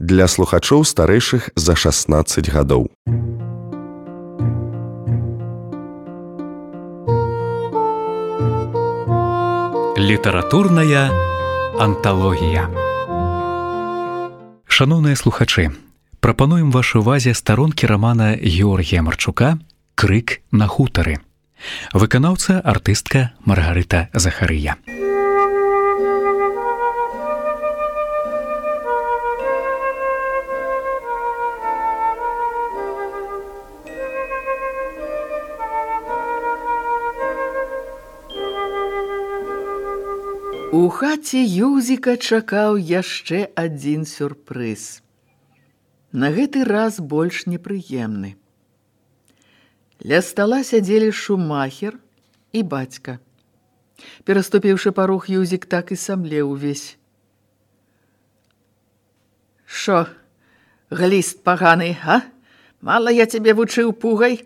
для слухачоў старэйшых за 16 гадоў. Літаратурная анталогія. Шаноўныя слухачы, прапануем вашай увазе старонкі рамана Георгія Марчука «Крык на хутары». Выканаўца артыстка Маргарыта Захарыя. У хаце Юзіка чакаў яшчэ адзін сюрпрыз. На гэты раз больш непрыемны. Ля стала сядзелі шумахер і бацька. Пераступіўшы парог, Юзік так і самлеў увесь. «Шо, гліст паганы, а? Мала я цябе вучыў пугай?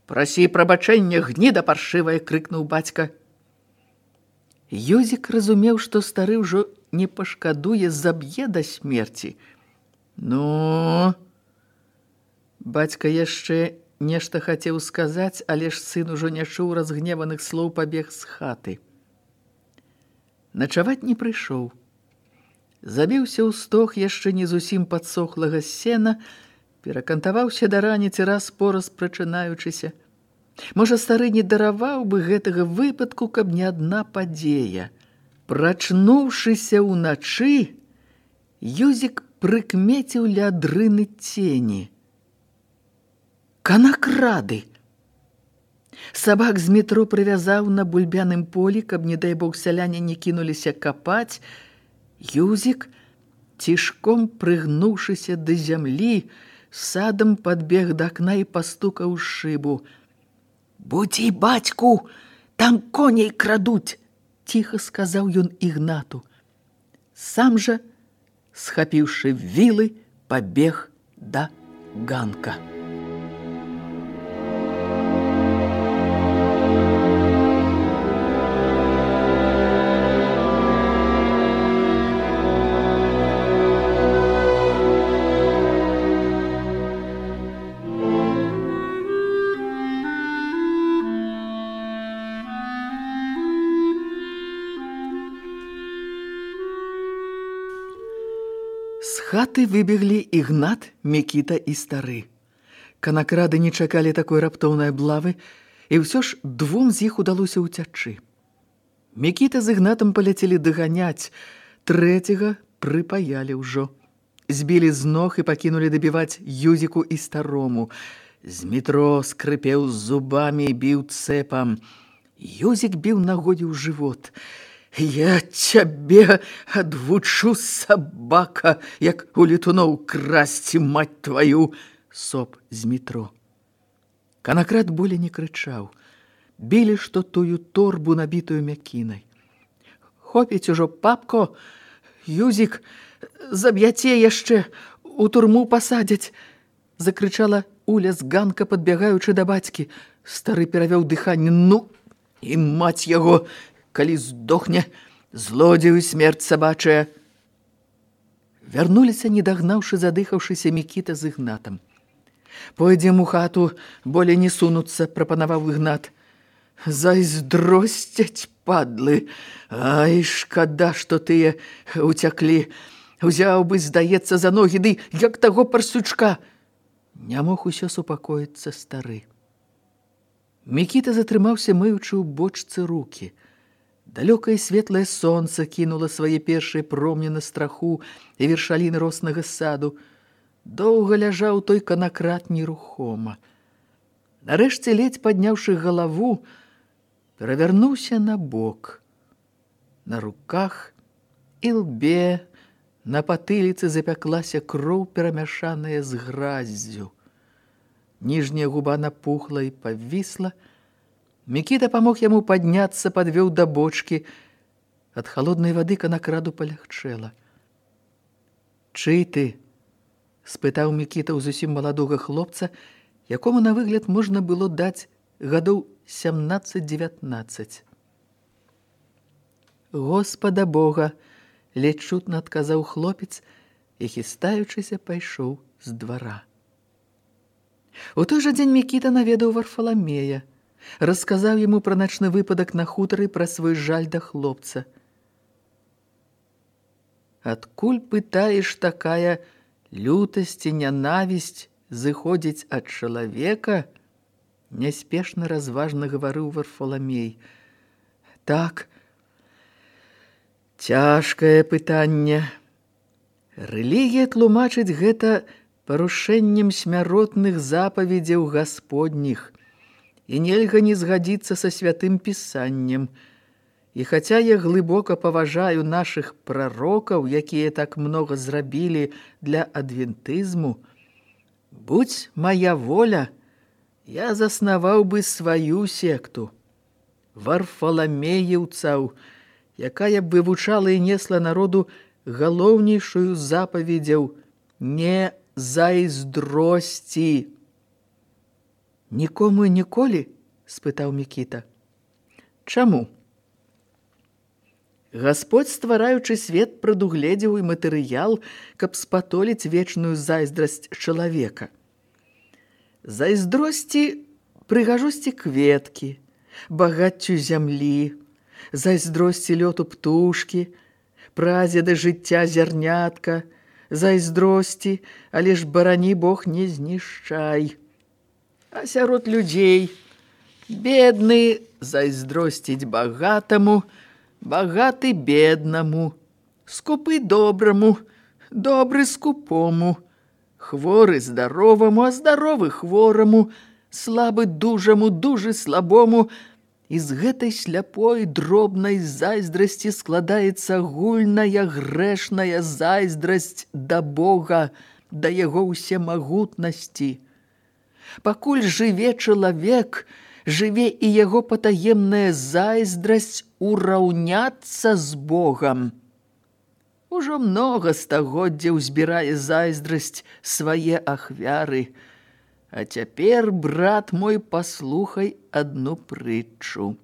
Прасі прабачэння, гніда паршывая!» — крыкнуў бацька. Юзік разумеў, што стары ўжо не пашкадуе, заб'е да смерці. «Ну...» Бацька яшчэ нешта хацеў сказаць, але ж сын ужо не чуў разгневаных слоў, пабег з хаты. Начаваць не прыйшоў. Забіўся ў стог яшчэ не зусім падсохлага сена, перакантаваўся да раніцы раз-пораз прачынаючыся. Можа, стары не дараваў бы гэтага выпадку, каб не адна падзея. Прачнуўшыся ўначы, Юзік прыкмеціў ля дрыны цені. Канакрады! Сабак з метро прывязаў на бульбяным полі, каб, не дай бог, сяляне не кінуліся капаць. Юзік, цішком прыгнуўшыся да зямлі, садам падбег да акна і пастукаў шыбу. «Будзі, бацьку, там коней крадуць!» — ціха сказаў ён Ігнату. Сам жа, схапіўшы вілы, пабег да ганка. З хаты выбеглі Ігнат, Мікіта і стары. Канакрады не чакалі такой раптоўнай аблавы, і ўсё ж двум з іх удалося ўцячы. Мікіта з Ігнатам паляцелі даганяць, трэцяга прыпаялі ўжо. Збілі з ног і пакінулі дабіваць Юзіку і старому. З метро скрыпеў зубамі і біў цэпам. Юзік біў нагодзе ў жывот. «Я цябе адвучу, сабака, як у летуноў красці, мать тваю!» — соп з метро. Канакрад болей не крычаў. Білі што тую торбу, набітую мякінай. «Хопіць ужо, папко! Юзік, заб'яце яшчэ, у турму пасадзяць!» — закрычала Уля з ганка, падбягаючы да бацькі. Стары перавёў дыханне. «Ну, і маць яго! Калі здохне, злодзею смерць сабачая!» Вярнуліся, не дагнаўшы задыхаўшыся Мікіта з Ігнатам. «Пойдзем у хату, болей не сунуцца», — прапанаваў Ігнат. «Зайздросцяць, падлы! Ай, шкада, што тыя уцяклі. Узяў бы, здаецца, за ногі, ды як таго парсючка!» Не мог усё супакоіцца стары. Мікіта затрымаўся, мыючы ў бочцы рукі. Далёкае светлае сонца кінула свае першыя промні на страху і вершаліны роснага саду. Доўга ляжаў той канакрад нерухома. Нарэшце, ледзь падняўшы галаву, перавярнуўся на бок. На руках і лбе, на патыліцы запяклася кроў, перамяшаная з граззю. Ніжняя губа напухла і павісла. Мікіта памог яму падняцца, падвёў да бочкі. Ад халоднай вады канакраду палягчэла. «Чый ты?» — спытаў Мікіта ў зусім маладога хлопца, якому на выгляд можна было даць гадоў 17-19. «Господа Бога!» — ледь чутна адказаў хлопец, і, хістаючыся, пайшоў з двара. У той жа дзень Мікіта наведаў Варфаламея, расказаў яму пра начны выпадак на хутары, пра свой жаль да хлопца. Адкуль, пытаеш, такая лютасць і нянавісць зыходзіць ад чалавека? Няспешна разважна гаварыў Варфаламей. Так, цяжкае пытанне. Рэлігія тлумачыць гэта парушэннем смяротных запаведзяў гасподніх, і нельга не згадзіцца са святым пісаннем. І хаця я глыбока паважаю нашых прарокаў, якія так многа зрабілі для адвентызму, будь моя воля, я заснаваў бы сваю секту, варфаламеяўцаў, якая б вывучала і несла народу галоўнейшую запаведзяў не зайздросці. Нікому і ніколі? Спытаў Мікіта. Чаму? Гасподзь, ствараючы свет, прадугледзеў і матэрыял, каб спатоліць вечную зайздрасць чалавека. Зайздросці прыгажосці кветкі, багаццю зямлі, зайздросці лёту птушкі, прадзеда жыцця зярнятка, зайздросці, але ж барані Бог не знішчай. А сярод людзей бедны зайздросціць багатаму, багаты беднаму, скупы добраму, добры скупому, хворы здароваму, а здаровы хвораму, слабы дужаму, дужы слабому. І з гэтай сляпой дробнай зайздрасці складаецца агульная грэшная зайздрасць да Бога, да яго ўсемагутнасці. Пакуль жыве чалавек, жыве і яго патаемная зайздрасць ураўняцца з Богам. Ужо многа стагоддзяў збірае зайздрасць свае ахвяры. А цяпер, брат мой, паслухай адну прытчу.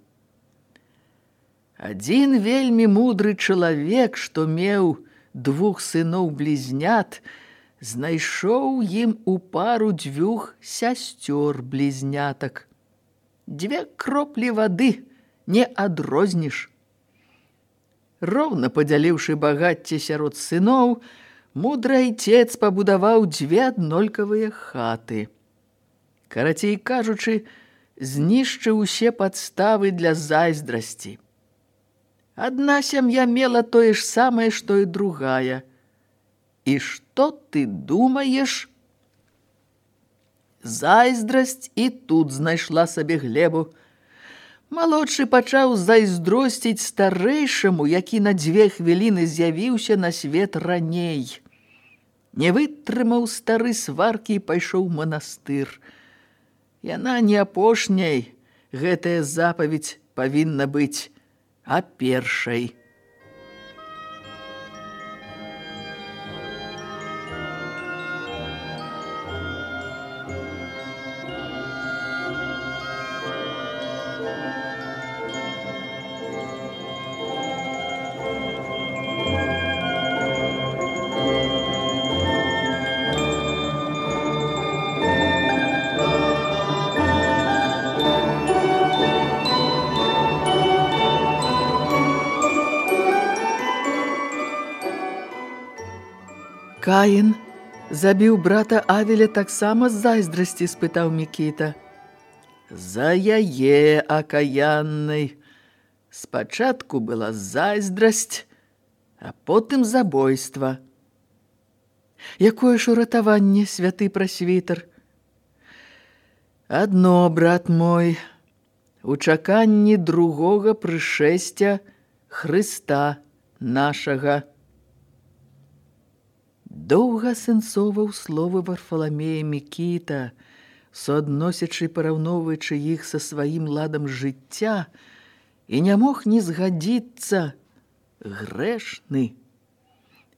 Адзін вельмі мудры чалавек, што меў 2 сыноў-блізнят, знайшоў ім у пару 2 сясцёр-блізнятак. 2 кроплі вады не адрозніш. Роўна падзяліўшы багацце сярод сыноў, мудры айцец пабудаваў 2 аднолькавыя хаты. Карацей кажучы, знішчыў усе падставы для зайздрасці. Адна сям'я мела тое ж самае, што і другая. І што ты думаеш? Зайздрасць і тут знайшла сабе глебу. Малодшы пачаў зайздросціць старэйшаму, які на 2 хвіліны з'явіўся на свет раней. Не вытрымаў стары сваркі і пайшоў у манастыр. Яна не апошняй, гэтая запаведь павінна быць, а першай. Каін забіў брата Авеля таксама з зайздрасці, спытаў Мікіта. За яе акаяннай. Спачатку была зайздрасць, а потым забойства. Якое ж уратаванне, святы прасвітар? Адно, брат мой, у чаканні другога прышэсця Хрыста нашага. Доўга асэнсоўваў словы Варфаламея Мікіта, суадносячы і параўноўваючы іх са сваім ладам жыцця, і не мог не згадзіцца. Грэшны.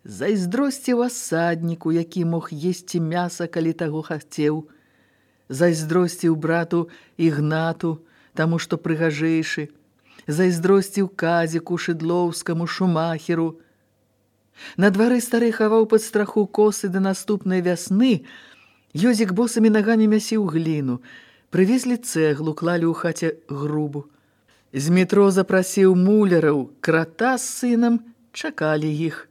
Зайздросціў асадніку, які мог есці мяса, калі таго хацеў. Зайздросціў брату Ігнату, таму што прыгажэйшы. Зайздросціў Казіку, Шыдлоўскаму, Шумахеру. На двары стары хаваў пад страху косы да наступнай вясны. Ёзік босымі нагамі мясіў гліну. Прывезлі цэглу, клалі ў хаце грубу. З метро запрасіў муляраў, крата з сынам, чакалі іх.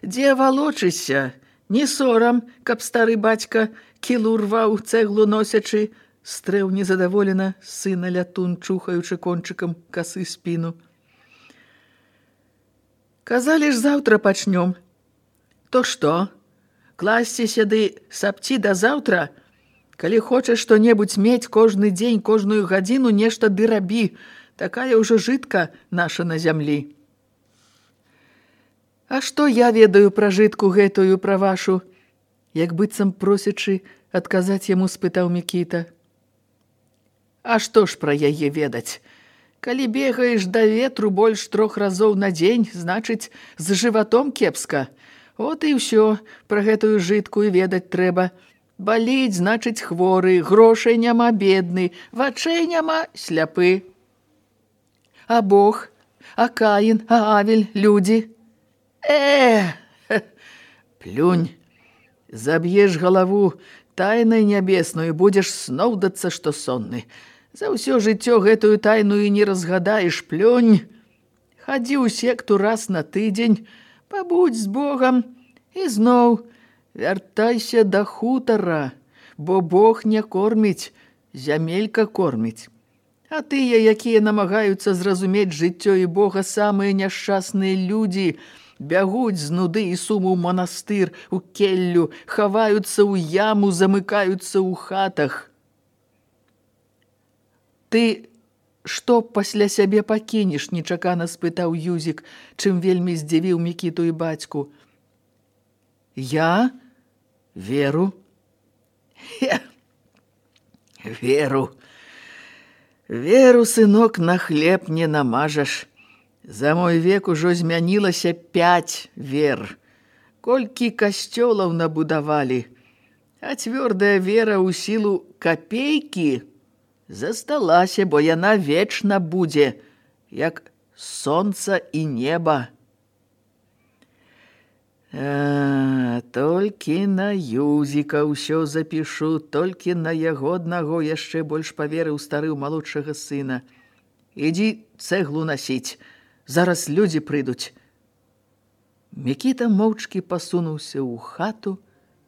«Дзе валочыся? Не сорам, каб стары бацька кілу рваў, цэглу носячы», стрэў незадаволена сына Лятун, чухаючы кончыкам касы спіну. «Казалі ж, заўтра пачнём. То што? Класціся ды сапці да заўтра? Калі хочаш што-небудзь мець кожны дзень, кожную гадзіну, нешта ды рабі. Такая ўжо жытка наша на зямлі». «А што я ведаю пра жытку гэтую, пра вашу?» Як быццам просячы адказаць яму, спытаў Мікіта. «А што ж пра яе ведаць? Калі бегаеш да ветру больш 3 разоў на дзень, значыць, з жыватом кепска. От і ўсё, пра гэтую жытку і ведаць трэба. Баліць, значыць, хворы, грошай няма, бедны, вачэй няма, сляпы. А Бог, а Каін, а Авель, людзі? Плюнь, заб'еш галаву тайнай нябесную, будзеш сноўдацца, што сонны. За ўсё жыццё гэтую тайну і не разгадаеш, плюнь. Хадзі ў секту раз на тыдзень, пабудзь з Богам і зноў вяртайся да хутара, бо Бог не корміць, зямелька корміць. А тыя, якія намагаюцца зразумець жыццё і Бога, самыя няшчасныя людзі, бягуць з нуды і суму ў манастыр, у келлю, хаваюцца ў яму, замыкаюцца ў хатах. Ты што пасля сябе пакінеш? Нечакана спытаў Юзік, чым вельмі здзівіў Мікіту і бацьку. Я? Веру? Веру. Веру, сынок, на хлеб не намажаш. За мой век ужо змянілася 5 вер. Колькі касцёлаў набудавалі. А цвёрдая вера ў сілу капейкі засталася, бо яна вечна будзе, як сонца і неба. Толькі на Юзіка ўсё запішу, толькі на яго аднаго яшчэ больш паверыў стары ў малодшага сына. Ідзі цэглу насіць, зараз людзі прыйдуць. Мікіта моўчкі пасунуўся ў хату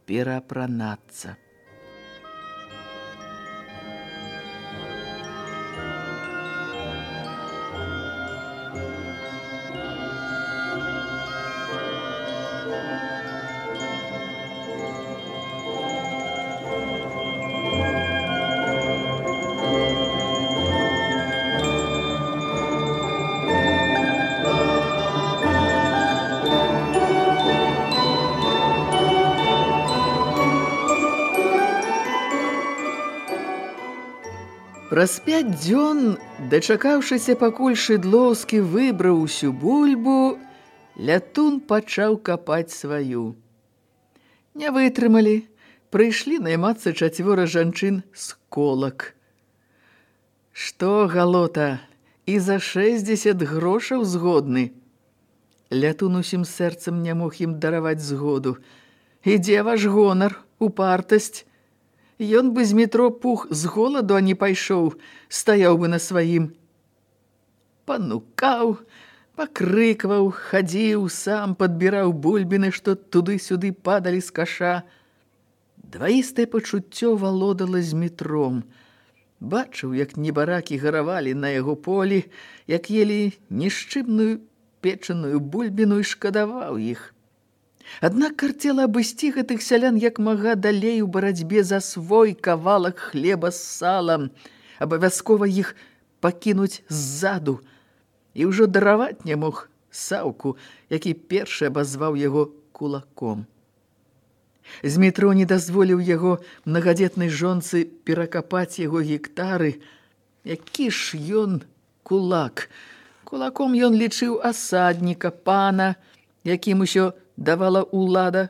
пераапранацца. Праз 5 дзён, дачакаўшыся, пакуль Шыдлоўскі выбраў усю бульбу, Лятун пачаў капаць сваю. Не вытрымалі, прыйшлі наймацца 4 жанчын з колак. Што, галота, і за 60 грошаў згодны? Лятун усім сэрцам не мог ім дараваць згоду. Ідзе ваш гонар, упартасць. Ён бы з метро пух з голаду, а не пайшоў, стаяў бы на сваім. Панукаў, пакрыкваў, хадзіў, сам падбіраў бульбіны, што туды-сюды падалі з каша. Дваістае пачуццё валодала з метром. Бачыў, як небаракі гаравалі на яго полі, як елі нішчыбную печаную бульбіну і шкадаваў іх. Аднак карцела абысці гэтых сялян як мага далей у барацьбе за свой кавалак хлеба з салам, абавязкова іх пакінуць ззаду, і ўжо дараваць не мог Саўку, які першы абазваў яго кулаком. З метро не дазволіў яго мнагадзетнай жонцы перакапаць яго гектары. Які ж ён кулак? Кулаком ён лічыў асадніка, пана, якім усё давала ўлада,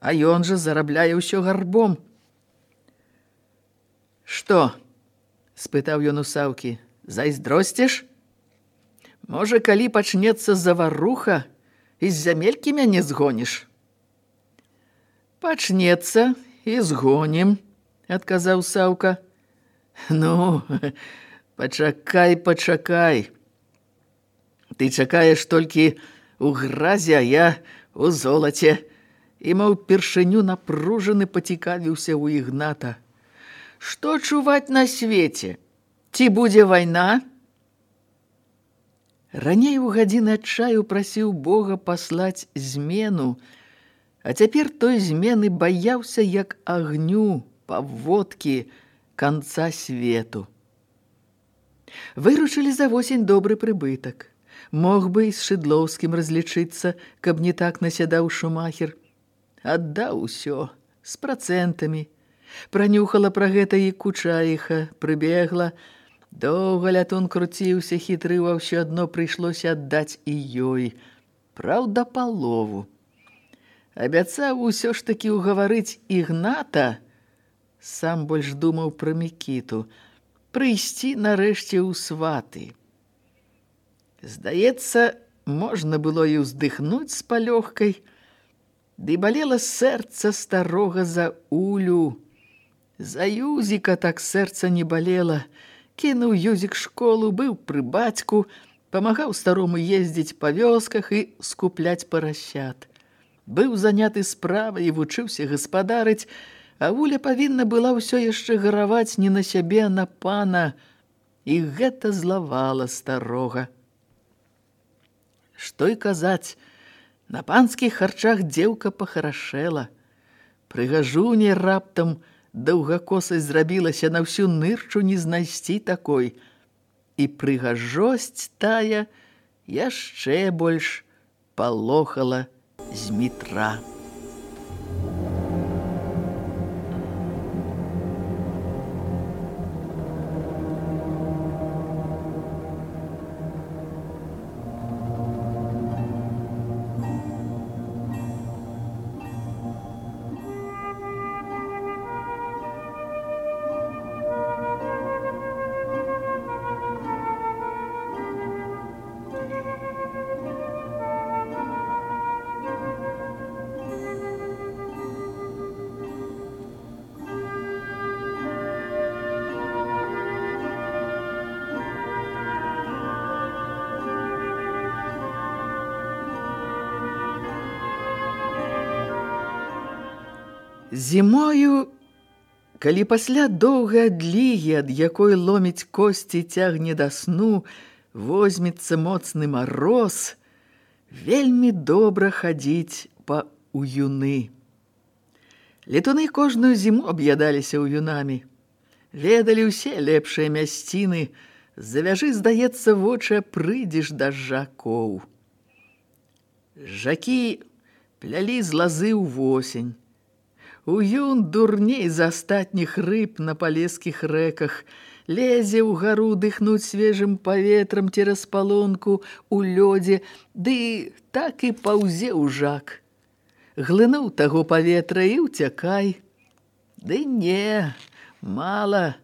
а ён жа зарабляе ўсё гарбом. Што? Спытаў ён у Саўкі. Зайздросцеш? Можа, калі пачнецца заваруха, з зямелькі мяне згоніш? Пачнецца і згонім, адказаў Саўка. Ну, пачакай. Ты чакаеш толькі у гразі, а я у золаце. І, маў, першыню напружаны пацікавіўся ў Ігната. Што чуваць на свеце? Ці будзе вайна? Раней у гадзіны адчаю прасіў Бога паслаць змену, а цяпер той змены баяўся як агню, паводкі, канца свету. Выручылі за восень добры прыбытак. Мог бы і з Шыдлоўскім разлічыцца, каб не так насядаў Шумахер. Аддаў усё, з працэнтамі. Пранюхала пра гэта і Кучаіха, прыбегла. Доўга лятун круціўся, хітрыў, а ўсё адно прыйшлося аддаць і ёй. Праўда, палову. Абяцаў усё ж такі ўгаварыць Ігната, сам больш думаў пра Мікіту, прыйсці нарэшце ў сваты. Здаецца, можна было і ўздыхнуць з палёгкай, ды балела сэрца старога за Улю. За Юзіка так сэрца не балела. Кінуў Юзік школу, быў пры бацьку, памагаў старому ездзіць па вёсках і скупляць парасят. Быў заняты справай і вучыўся гаспадарыць, а Уля павінна была ўсё яшчэ гараваць не на сябе, а на пана, і гэта злавала старога. Што і казаць, на панскіх харчах дзеўка пахарашэла. Прыгажуне раптам даўгакосай зрабілася, на ўсю нырчу не знайсці такой. І прыгажосць тая яшчэ больш палохала Змітра. Зімою, калі пасля доўгай адлігі, ад якой ломіць косці, цягне да сну, возьмецца моцны мароз, вельмі добра хадзіць па уюны. Летуны кожную зіму аб'ядаліся уюнамі. Ведалі ўсе лепшыя мясціны, завяжы, здаецца, вочы, прыйдзеш да жакоў. Жакі плялі з лазы ў восень. Уюн дурней за астатніх рыб на палескіх рэках, лезе ўгару дыхнуць свежым паветрам цераз палонку ў лёдзе, ды так і паўзе ў жак. Глынуў таго паветра і ўцякай. Ды не, мала,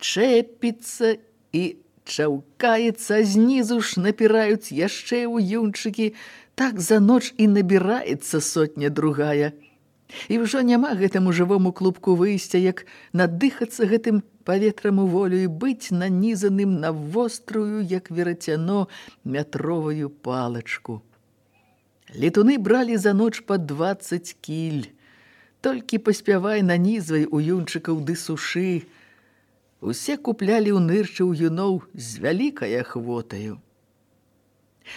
чэпіцца і чаўкаецца, знізу ж напіраюць яшчэ уюнчыкі, так за ноч і набіраецца сотня другая. І ўжо няма гэтаму жывому клубку выйсця, як надыхацца гэтым паветрам у волю і быць нанізаным на вострую, як верацяно, метровую палачку. Летуны бралі за ноч па 20 кіль. Толькі паспявай нанізвай уюнчыкаў ды сушы. Усе куплялі ў нырчы уюноў з вялікай ахвотаю.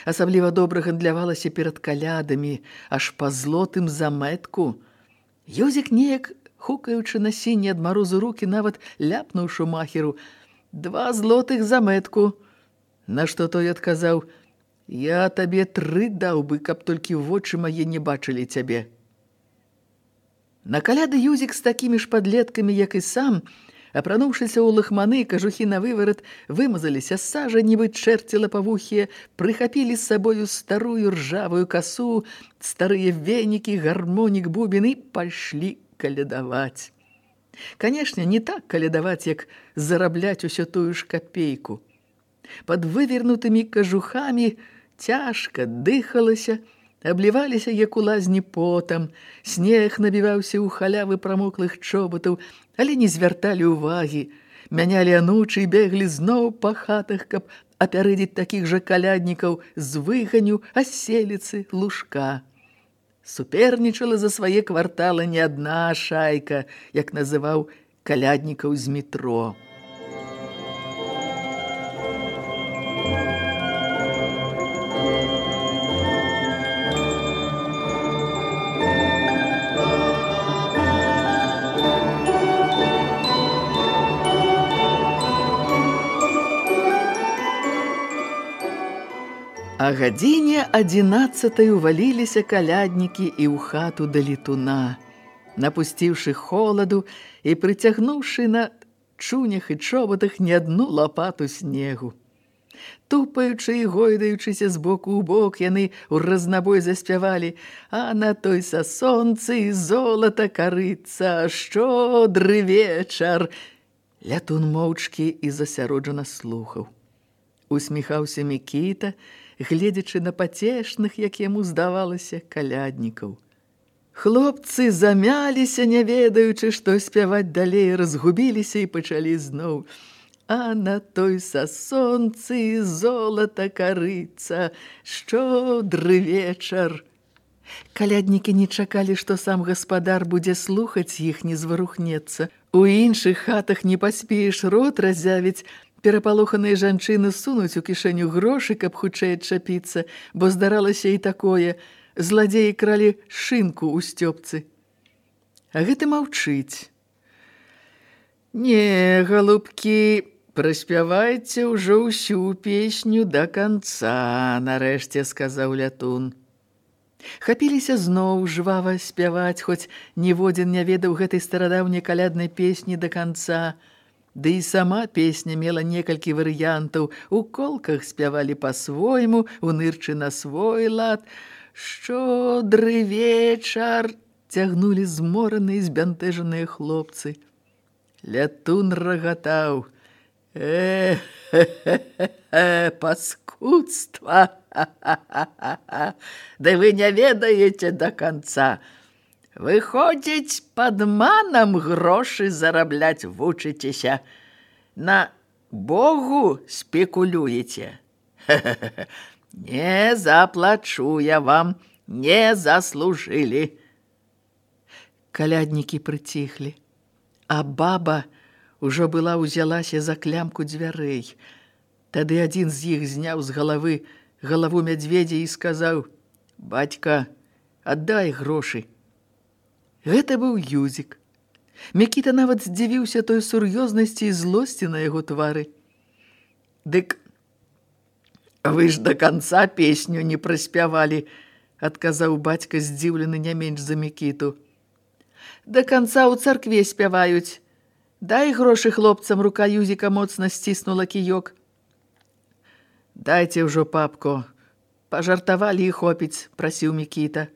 Асабліва добра гандлявалася перад калядамі, аж па злотым заметку. Юзік неяк, хукаючы на сіні ад марозу рукі, нават ляпнуў Шумахеру: 2 злотых заметку. На што той адказаў: я табе 3 даў бы, каб толькі вочы мае не бачылі цябе. На каляды Юзік з такімі ж падлеткамі, як і сам, апрануўшыся ў лахманы, кажухі на выварат, вымазаліся з сажа, нібы чэрці лапавухія, прыхапілі з сабою старую ржавую касу, старыя венікі, гармонік, бубен і пайшлі калядаваць. Канешне, не так калядаваць, як зарабляць усё тую ж капейку. Пад вывернутымі кажухамі цяжка дыхалася, абліваліся, як у лазні потам, снег набіваўся ў халявы прамоклых чоботаў, але не звярталі ўвагі, мянялі анучы і беглі зноў па хатах, каб апярэдзіць такіх жа каляднікаў з выганю, аселіцы, лужка. Супернічала за свае кварталы не адна шайка, як называў каляднікаў з метро. А гадзіне 11 уваліліся каляднікі і ў хату да летуна, напусціўшы холаду і прыцягнуўшы на чунях і чоботах не адну лапату снегу. Тупаючы і гойдаючыся з боку ў бок, яны ў разнабой заспявалі: «А на той са сонцы золата карыцца, шчодры вечар». Лятун моўчкі і засяроджана слухаў. Усміхаўся Мікіта, гледзячы на пацешных, як яму здавалася, каляднікаў. Хлопцы замяліся, не ведаючы, што спяваць далей, разгубіліся і пачалі зноў: «А на той са сонцы золата карыцца, шчодры вечар». Каляднікі не чакалі, што сам гаспадар будзе слухаць іх, не зварухнецца. У іншых хатах не паспееш рот разявіць, перапалоханыя жанчыны сунуць у кішэню грошы, каб хутчэй адчапіцца, бо здаралася і такое: зладзеі кралі шынку ў сцёпцы. А гэты маўчыць. «Не, галубкі, праспявайце ўжо ўсю песню да канца», — нарэшце сказаў Лятун. Хапіліся зноў жвава спяваць, хоць ніводзін не ведаў гэтай старадаўняй каляднай песні да канца. Ды і сама песня мела некалькі варыянтаў. У колках спявалі па-свойму, у нырчы на свой лад. «Шчодры вечар», цягнулі змораныя, збянтэжаныя хлопцы. Лятун рагатаў: паскудства! Да вы не ведаеце да канца. Выходзіць, падманам грошы зарабляць вучыцеся. На Богу спекулюеце. Не заплачу я вам, не заслужылі». Каляднікі прыціхлі, а баба ўжо была ўзялася за клямку дзвярэй. Тады адзін з іх зняў з галаву мядзведзя і сказаў: «Бацька, аддай грошы». Гэта быў Юзік. Мікіта нават здзівіўся той сур'ёзнасці і злосці на яго твары. «Дык вы ж да канца песню не праспявалі», — адказаў бацька, здзіўлены не менш за Мікіту. «Да канца ў царкве спяваюць. Дай грошы хлопцам», — рука Юзіка моцна сціснула кіёк. «Дайце ўжо, папко, пажартавалі і хопіць», — прасіў Мікіта.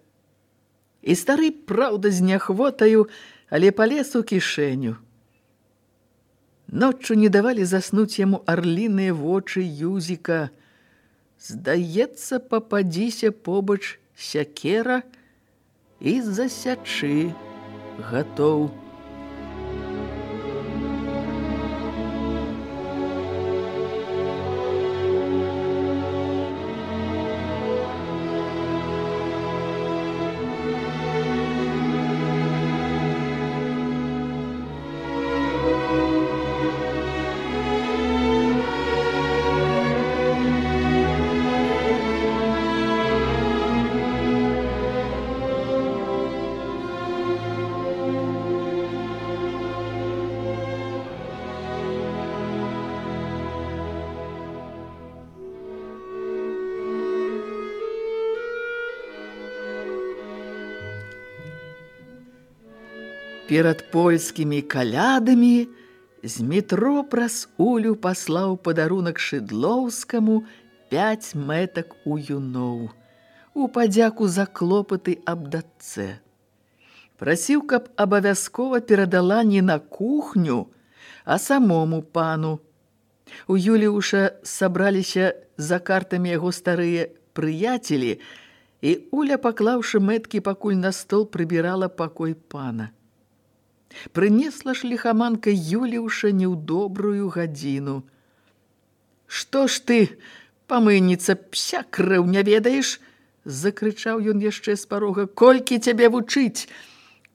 І стары, праўда, з няхвотаю, але палез у кішэню. Ноччу не давалі заснуць яму арліныя вочы Юзіка. Здаецца, пападзіся побач сякера і засячы гатоў. Перад польскімі калядамі з метро праз Улю паслаў падарунак Шыдлоўскаму 5 мэтак у юноў, у падзяку за клопаты аб дачцэ. Прасіў, каб абавязкова перадала не на кухню, а самому пану. У Юліуша сабраліся за картамі яго старыя прыяцелі, І Уля, паклаўшы мэткі пакуль на стол, прыбірала пакой пана. Прынесла ж ліхаманка Юліуша не ў добрую гадзіну. «Што ж ты, памыйніца, пся крыў не ведаеш?» – закрычаў ён яшчэ з парога. «Колькі цябе вучыць?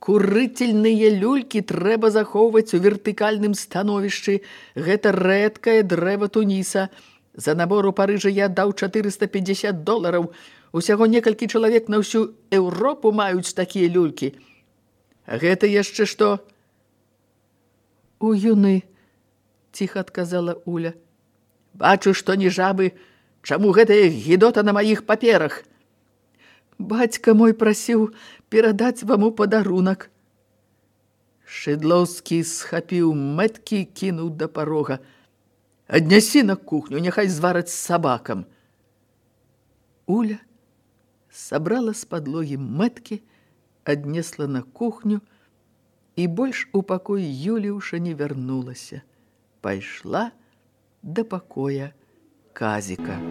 Курытельныя люлькі трэба захоўваць у вертыкальным становішчы. Гэта рэдкае дрэва Туніса. За набор у Парыжа я даў $450. Усяго некалькі чалавек на ўсю Еўропу маюць такія люлькі. А гэта яшчэ што?» «У юны», – ціха адказала Уля. «Бачу, што не жабы. Чаму гэтая гідота на маіх паперах?» «Бацька мой прасіў перадаць вам у падарунак». Шыдлоўскі схапіў мэткі і кінуў да парога. «Аднясі на кухню, няхай звараць з сабакам». Уля сабрала з падлогі мэткі, аднесла на кухню і больш у пакой Юліуша не вярнулася. Пайшла да пакоя Казіка.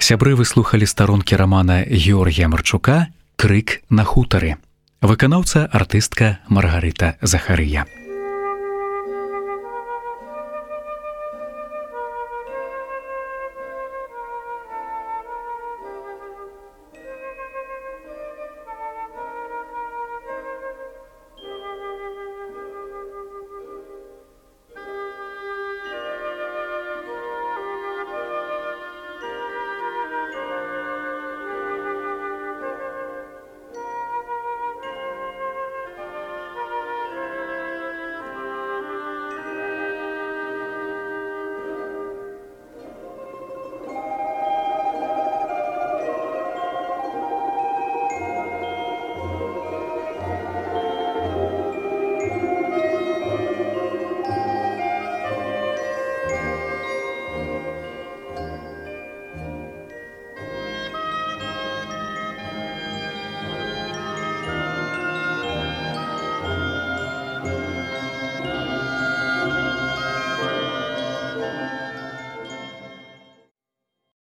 Сябры выслухалі старонкі рамана Георгія Марчука «Крык на хутары». Выканаўца артыстка Маргарыта Захарыя.